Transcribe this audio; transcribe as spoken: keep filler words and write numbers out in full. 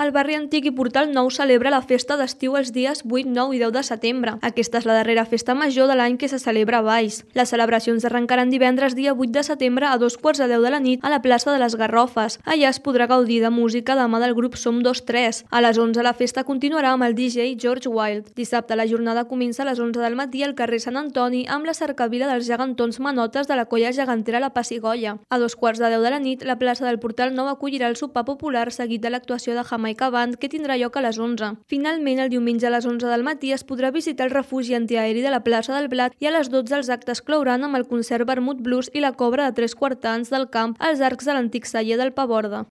El barri antic i Portal Nou celebra la festa d'estiu els dies vuit, nou i deu de setembre. Aquesta és la darrera festa major de l'any que se celebra a Valls. Les celebracions arrencaran divendres dia vuit de setembre a dos quarts de deu de la nit a la plaça de les Garrofes. Allà es podrà gaudir de música de mà del grup Som dos tres. A les onze la festa continuarà amb el D J George Wild. Dissabte la jornada comença a les onze del matí al carrer Sant Antoni amb la cercavila dels gegantons manotes de la colla gegantera La Passigolla. A dos quarts de deu de la nit la plaça del Portal Nou acollirà el sopar popular seguit de l'actuació de Jamaica Band que tindrà lloc a les onze. Finalment, el diumenge a les onze del matí es podrà visitar el refugi antiaeri de la plaça del Blat i a les dotze els actes clouran amb el concert Vermut Blues i la cobra de tres quartans del camp als arcs de l'antic celler del Paborda.